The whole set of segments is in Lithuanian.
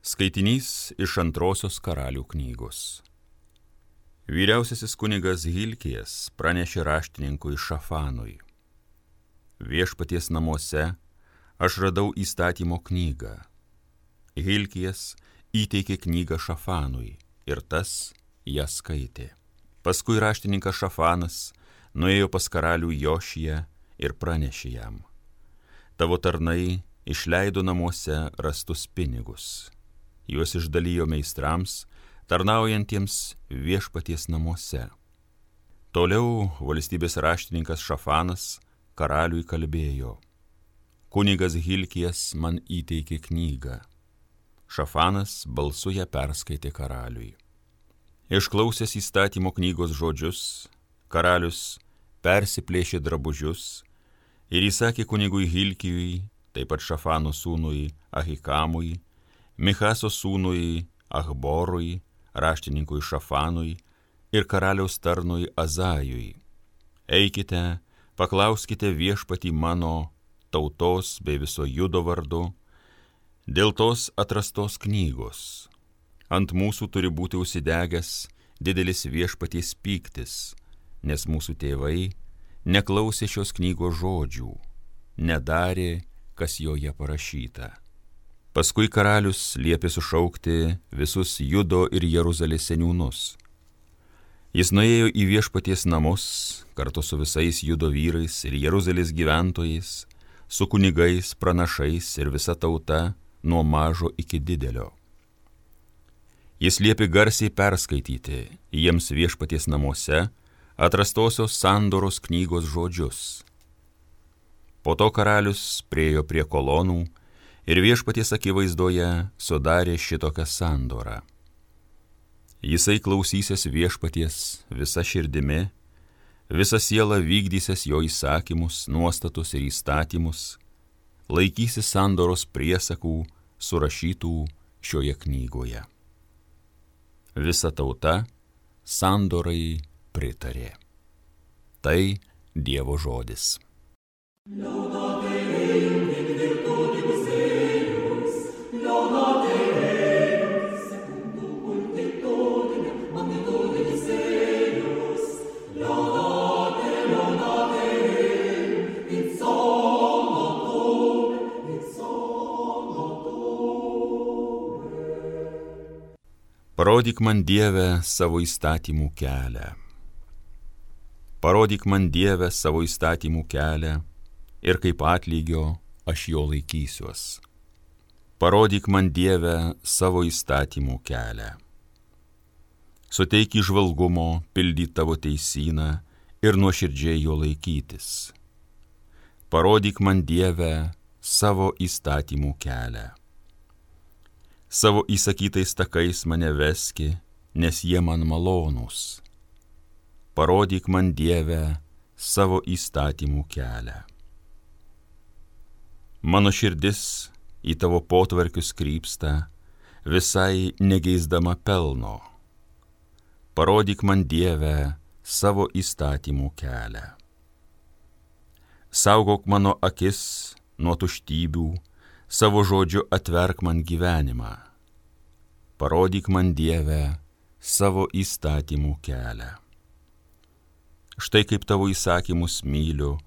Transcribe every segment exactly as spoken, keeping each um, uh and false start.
Skaitinys iš antrosios karalių knygos. Vyriausiasis kunigas Hilkijas pranešė raštininkui Šafanui: Viešpaties namuose aš radau įstatymo knygą. Hilkijas įteikė knygą Šafanui ir tas ją skaitė. Paskui raštininkas Šafanas nuėjo pas karalių Jošiją ir pranešė jam: Tavo tarnai išleido namuose rastus pinigus. Juos išdalijo meistrams, tarnaujantiems viešpaties namuose. Toliau valstybės raštininkas Šafanas karaliui kalbėjo: Kunigas Hilkijas man įteikė knygą. Šafanas balsu ją perskaitė karaliui. Išklausęs įstatymo knygos žodžius, karalius persiplėšė drabužius ir įsakė kunigui Hilkijui, taip pat Šafano sūnui Ahikamui, Michaso sūnui Achborui, raštininkui Šafanui ir karaliaus tarnui Azajui: Eikite, paklauskite viešpatį mano tautos bei viso Judo vardu dėl tos atrastos knygos. Ant mūsų turi būti užsidegęs didelis viešpaties pyktis, nes mūsų tėvai neklausė šios knygos žodžių, nedarė, kas joje parašyta. Paskui karalius liepė sušaukti visus Judo ir Jeruzalės seniūnus. Jis nuėjo į viešpaties namus kartu su visais Judo vyrais ir Jeruzalės gyventojais, su kunigais, pranašais ir visa tauta nuo mažo iki didelio. Jis liepė garsiai perskaityti jiems viešpaties namuose atrastosios sandoros knygos žodžius. Po to karalius priėjo prie kolonų ir viešpaties akivaizdoje sudarė šitokią sandorą. Jisai klausysis viešpaties visa širdimi, visa siela vykdysis jo įsakymus, nuostatus ir įstatymus, laikysis sandoros priesakų surašytų šioje knygoje. Visa tauta sandorai pritarė. Tai Dievo žodis. Parodyk man, Dieve, savo įstatymų kelią. Parodyk man, Dieve, savo įstatymų kelią ir kaip atlygio aš jo laikysiuos. Parodyk man, Dieve, savo įstatymų kelią. Suteik įžvalgumo pildyt tavo teisyną ir nuoširdžiai jo laikytis. Parodyk man, Dieve, savo įstatymų kelią. Savo įsakytais takais mane veski, nes jie man malonūs. Parodyk man, Dieve, savo įstatymų kelią. Mano širdis į tavo potvarkius krypsta, visai negeisdama pelno. Parodyk man, Dieve, savo įstatymų kelią. Saugok mano akis nuo tuštybių, savo žodžiu atverk man gyvenimą. Parodyk man, Dieve, savo įstatymų kelią. Štai kaip tavo įsakymus myliu,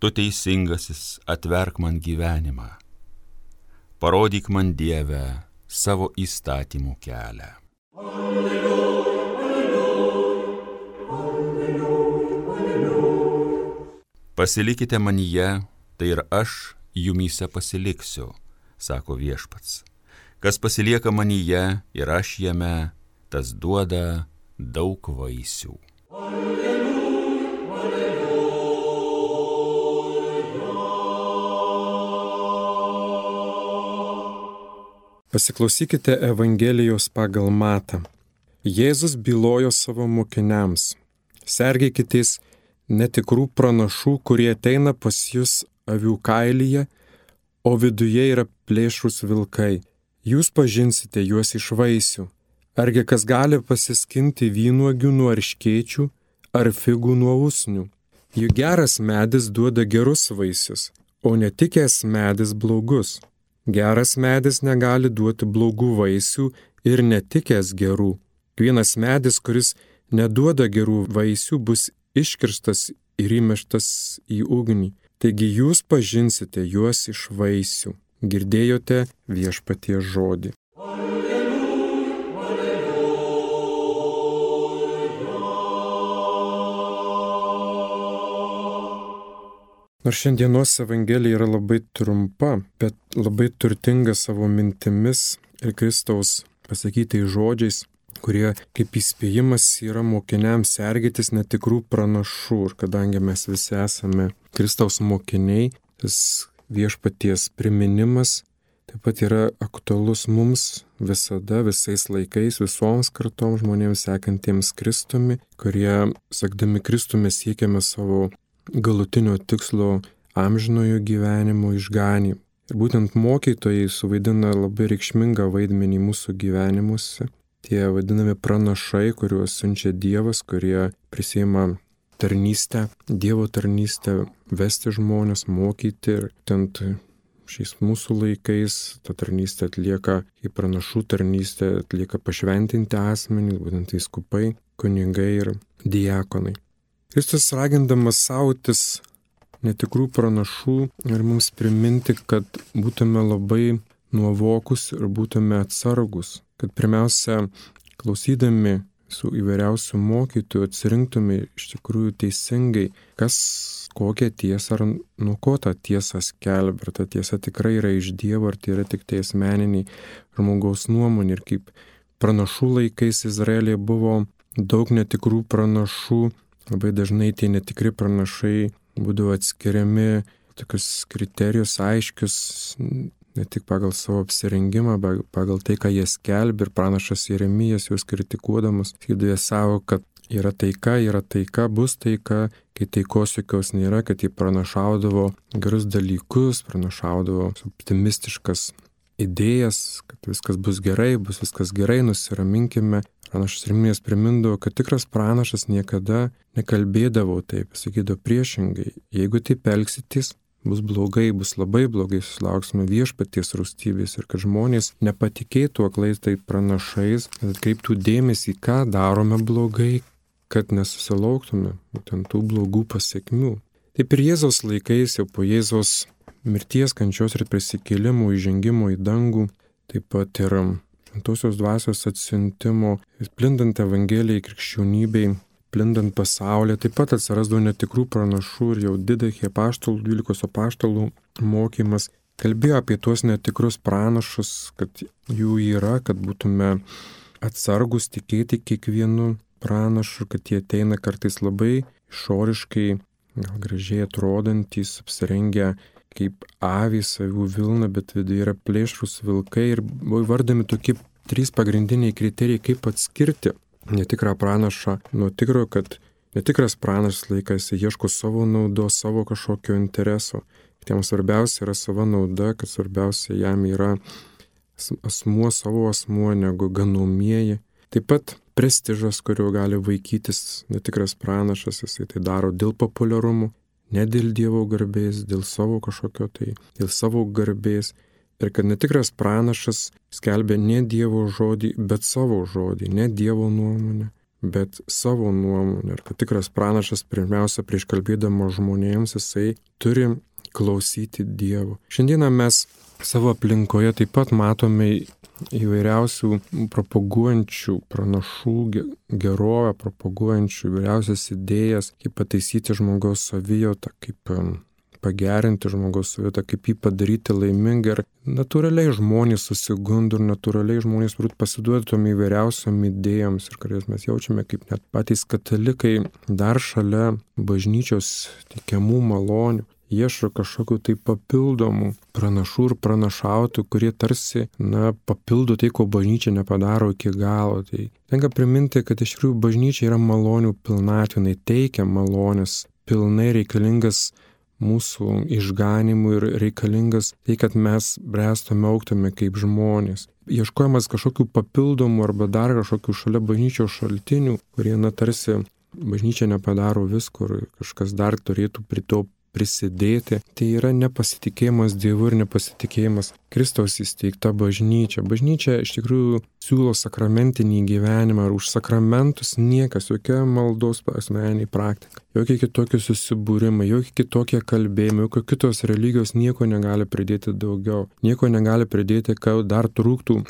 tu teisingasis, atverk man gyvenimą. Parodyk man, Dieve, savo įstatymų kelią. Alleluja, alleluja, alleluja, alleluja. Pasilikite manyje, tai ir aš jumyse pasiliksiu, sako viešpats. Kas pasilieka manyje ir aš jame, tas duoda daug vaisių. Alleluja, alleluja. Pasiklausykite Evangelijos pagal Matą. Jėzus bylojo savo mokiniams: Sergėkitės netikrų pranašų, kurie ateina pas jus avių kailyje, o viduje yra plėšrūs vilkai. Jūs pažinsite juos iš vaisių. Argi kas gali pasiskinti vynuogių nuo erškėčių ar figų nuo usnių? Juk geras medis duoda gerus vaisius, o netikęs medis blogus. Geras medis negali duoti blogų vaisių ir netikęs gerų. Vienas medis, kuris neduoda gerų vaisių, bus iškirstas ir įmeštas į ugnį. Taigi jūs pažinsite juos iš vaisių. Girdėjote Viešpaties žodį. Nors šiandienos Evangelija yra labai trumpa, bet labai turtinga savo mintimis ir Kristaus pasakytais žodžiais, kurie kaip įspėjimas yra mokiniams sergėtis netikrų pranašų. Ir kadangi mes visi esame Kristaus mokiniai, tas Viešpaties priminimas taip pat yra aktualus mums visada, visais laikais, visoms kartoms žmonėms sekantiems Kristumi, kurie, sekdami Kristumi, siekiame savo galutinio tikslo amžinojo gyvenimo išganymą. Ir būtent mokytojai suvaidina labai reikšmingą vaidmenį mūsų gyvenimuose. Tie vadinami pranašai, kuriuos siunčia Dievas, kurie prisiima tarnystę, Dievo tarnystę, vesti žmonės, mokyti. Ir tent šiais mūsų laikais ta tarnystė atlieka, į pranašų tarnystę atlieka pašventinti asmenys, būtent vyskupai, kunigai ir diakonai. Kristus ragindamas sautis netikrų pranašų ir mums priminti, kad būtume labai nuovokus ir būtume atsargus, kad pirmiausia, klausydami su įvairiausių mokytojų, atsirinktume iš tikrųjų teisingai, kas kokią tiesą ar nuo ko tą tiesą skelbia, ar ta tiesa tikrai yra iš Dievo, ar tai yra tik tai asmeniniai žmogaus nuomonė. Ir kaip pranašų laikais Izraelyje buvo daug netikrų pranašų, labai dažnai tie netikri pranašai būdavo atskiriami tokius kriterijus aiškius, ne tik pagal savo apsirengimą, bet pagal tai, ką jie skelbia. Ir pranašas Jeremijas juos kritikuodamas sakydavo savo, kad yra taika, yra taika, bus taika, kai taikos jokios nėra, kad jie pranašaudavo gerus dalykus, pranašaudavo optimistiškas idėjas, kad viskas bus gerai, bus viskas gerai, nusiraminkime. Pranašas Jeremijas primindavo, kad tikras pranašas niekada nekalbėdavo taip, sakydavo priešingai. Jeigu taip elgsitės, bus blogai, bus labai blogai, susilauksime Viešpaties rūstybės. Ir kad žmonės nepatikėtų aklais tai pranašais, kad atkreiptų dėmesį, ką darome blogai, kad nesusilauktume būtent tų blogų pasiekmių. Taip ir Jėzaus laikais, jau po Jėzaus mirties, kančios ir prisikėlimo, įžengimo į dangų, taip pat ir Šventosios dvasios atsiuntimo, plindant Evangelijai, krikščionybei, plindant pasaulyje, taip pat atsirasdavo netikrų pranašų ir jau didachie apaštalų, dvylikos apaštalų mokymas kalbėjo apie tuos netikrus pranašus, kad jų yra, kad būtume atsargus tikėti kiekvienu pranašu, kad jie ateina kartais labai išoriškai, gal gražiai atrodantys, apsirengę kaip avys, avių vilna, bet viduje yra plėšrūs vilkai. Ir buvo įvardami tokie trys pagrindiniai kriterijai, kaip atskirti netikrą pranašą nuo tikro, kad netikras pranašas laikas ieško savo naudos, savo kažkokio intereso. Tiem svarbiausia yra sava nauda, kad svarbiausia jam yra asmuo, savo asmuo, negu ganomieji. Taip pat prestižas, kurio gali vaikytis netikras pranašas, jisai tai daro dėl populiarumo, ne dėl Dievo garbės, dėl savo kažkokio tai, dėl savo garbės. Ir kad netikras pranašas skelbia ne Dievo žodį, bet savo žodį, ne Dievo nuomonę, bet savo nuomonę. Ir kad tikras pranašas pirmiausia prieš kalbėdama žmonėms, jisai turi klausyti Dievo. Šiandieną mes savo aplinkoje taip pat matome įvairiausių propaguojančių pranašų gerovę, propaguojančių įvairiausias idėjas, kaip pataisyti žmogaus savijautą, kaip pagerinti žmogaus savijautą, kaip jį padaryti laimingą. Ir natūraliai žmonės susigundo ir natūraliai žmonės turbūt pasiduoda tom įvairiausiam idėjams, ir kurias mes jaučiame kaip net patys katalikai dar šalia bažnyčios teikiamų malonių ieško kažkokių tai papildomų pranašų ir pranašautų, kurie tarsi, na, papildo tai, ko bažnyčia nepadaro iki galo. Tai tenka priminti, kad iš tikrųjų bažnyčia yra malonių pilnatvė, jinai teikia malonės, pilnai reikalingas mūsų išganimui ir reikalingas tai, kad mes bręstume, augtume kaip žmonės. Ieškojamas kažkokių papildomų arba dar kažkokių šalia bažnyčios šaltinių, kurie, na, tarsi bažnyčia nepadaro visko ir kažkas dar turėtų prie to prisidėti. Tai yra nepasitikėjimas Dievu ir nepasitikėjimas Kristaus įsteigta bažnyčia. Bažnyčia iš tikrųjų siūlo sakramentinį gyvenimą ir už sakramentus niekas, jokia maldos asmeniniai praktika, jokie kitokie susibūrimai, jokie kitokie kalbėjimai, jokios kitos religijos nieko negali pridėti daugiau, nieko negali pridėti, kad dar trūktų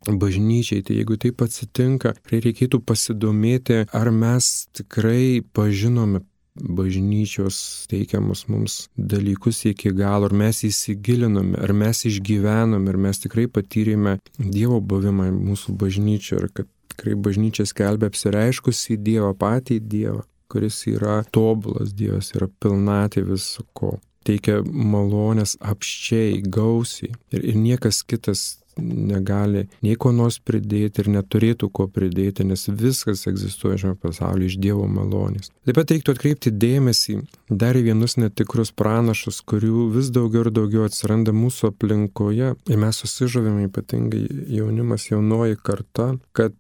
bažnyčiai. Tai jeigu taip atsitinka, reikėtų pasidomėti, ar mes tikrai pažinome bažnyčios teikiamus mums dalykus iki galo, ar mes įsigilinome, ar mes išgyvenome, ar mes tikrai patyrėme Dievo buvimą mūsų bažnyčioje, ir kad tikrai bažnyčia skelbia apsireiškusį Dievą, patį Dievą, kuris yra tobulas Dievas, yra pilnatvė viso ko, teikia malonės apsčiai, gausiai, ir, ir niekas kitas negali nei ko nors pridėti ir neturėtų ko pridėti, nes viskas egzistuoja šiame pasaulyje iš Dievo malonės. Taip pat reiktų atkreipti dėmesį dar į vienus netikrus pranašus, kurių vis daugiau ir daugiau atsiranda mūsų aplinkoje, ir mes susižavime, ypatingai jaunimas, jaunoji karta, kad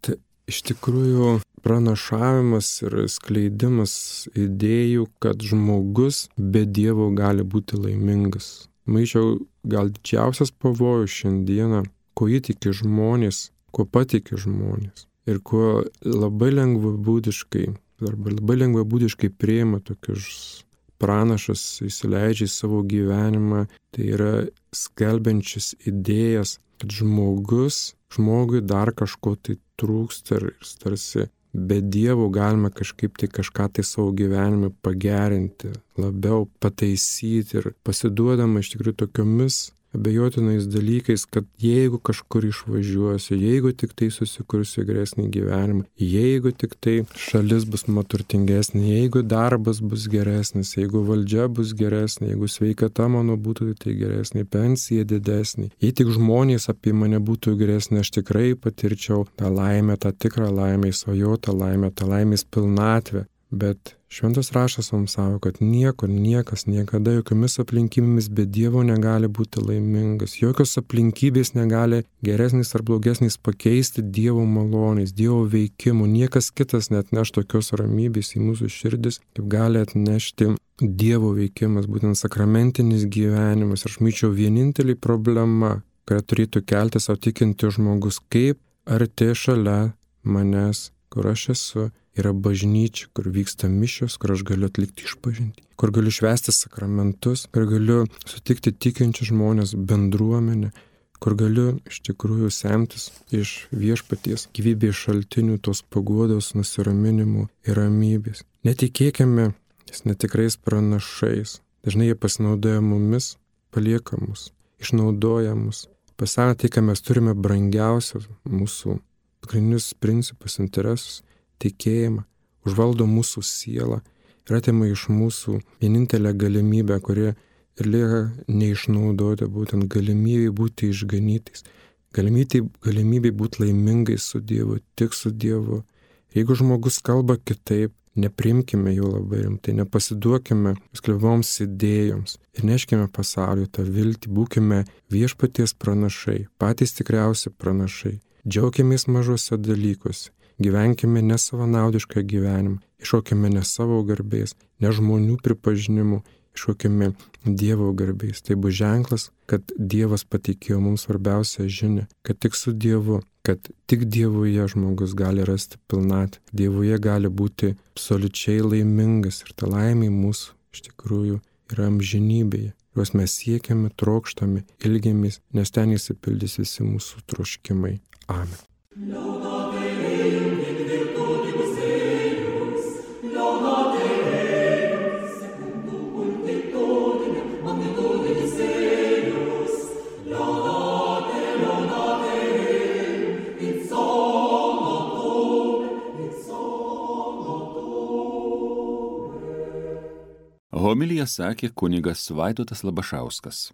iš tikrųjų pranašavimas ir skleidimas idėjų, kad žmogus be Dievo gali būti laimingas. Manyčiau, gal didžiausias pavojus šiandieną, ko įtiki žmonės, ko patiki žmonės ir ko labai lengvabūdiškai, arba labai lengvabūdiškai priima tokius pranašus, įsileidžia į savo gyvenimą, tai yra skelbiančias idėjas, kad žmogus, žmogui dar kažko tai trūksta ir tarsi be Dievo galima kažkaip tai kažką tai savo gyvenime pagerinti, labiau pataisyti ir pasiduodama iš tikrųjų tokiomis abejotinais dalykais, kad jeigu kažkur išvažiuosiu, jeigu tik tai susikursiu geresnį gyvenimą, jeigu tik tai šalis bus turtingesnė, jeigu darbas bus geresnis, jeigu valdžia bus geresnė, jeigu sveikata mano būtų tai geresnė, pensija didesnė, jei tik žmonės apie mane būtų geresnė, aš tikrai patirčiau tą laimę, tą tikrą laimę, svajotą laimę, tą laimės pilnatvę. Bet šventas raštas mums sako, kad niekur, niekas, niekada, jokiomis aplinkybėmis be Dievo negali būti laimingas. Jokios aplinkybės negali geresnis ar blogesnis pakeisti Dievo malonės, Dievo veikimų. Niekas kitas net neš tokios ramybės į mūsų širdis, kaip gali atnešti Dievo veikimas, būtent sakramentinis gyvenimas. Aš myčiau vienintelį problema, kurią turėtų kelti savo tikinti žmogus, kaip arti šalia manęs, kur aš esu, yra bažnyčia, kur vyksta mišios, kur aš galiu atlikti išpažintį, kur galiu švęsti sakramentus, kur galiu sutikti tikinčius žmonės, bendruomenę, kur galiu iš tikrųjų semtis iš viešpaties gyvybės šaltinių, tos paguodos, nusiraminimų ir ramybės. Netikėkime tais netikrais pranašais. Dažnai jie pasinaudoja mumis, palieka mus, išnaudoja mus. Pasakė tai, ką mes turime brangiausias, mūsų pagrindinius principus, interesus, tikėjimą, užvaldo mūsų sielą ir atima iš mūsų vienintelę galimybę, kuri ir lieka neišnaudota, būtent galimybė būti išganytais, galimybė, galimybė būti laimingais su Dievu, tik su Dievu. Jeigu žmogus kalba kitaip, neprimkime jo labai rimtai, nepasiduokime sklevoms idėjoms ir neškime pasauliu tą viltį, būkime viešpaties pranašai, patys tikriausi pranašai, džiaukimės mažose dalykuose. Gyvenkime ne savanaudišką gyvenimą, iššaukime ne savo garbės, ne žmonių pripažinimų, iššaukime Dievo garbės. Tai bus ženklas, kad Dievas patikėjo mums svarbiausią žinią, kad tik su Dievu, kad tik Dievuje žmogus gali rasti pilnatvę, Dievuje gali būti absoliučiai laimingas ir ta laimė mūsų iš tikrųjų yra amžinybėje. Juos mes siekiame, trokštame, ilgiamės, nes ten įsipildys visi mūsų troškimai. Amen. Homiliją sakė kunigas Vaidotas Labašauskas.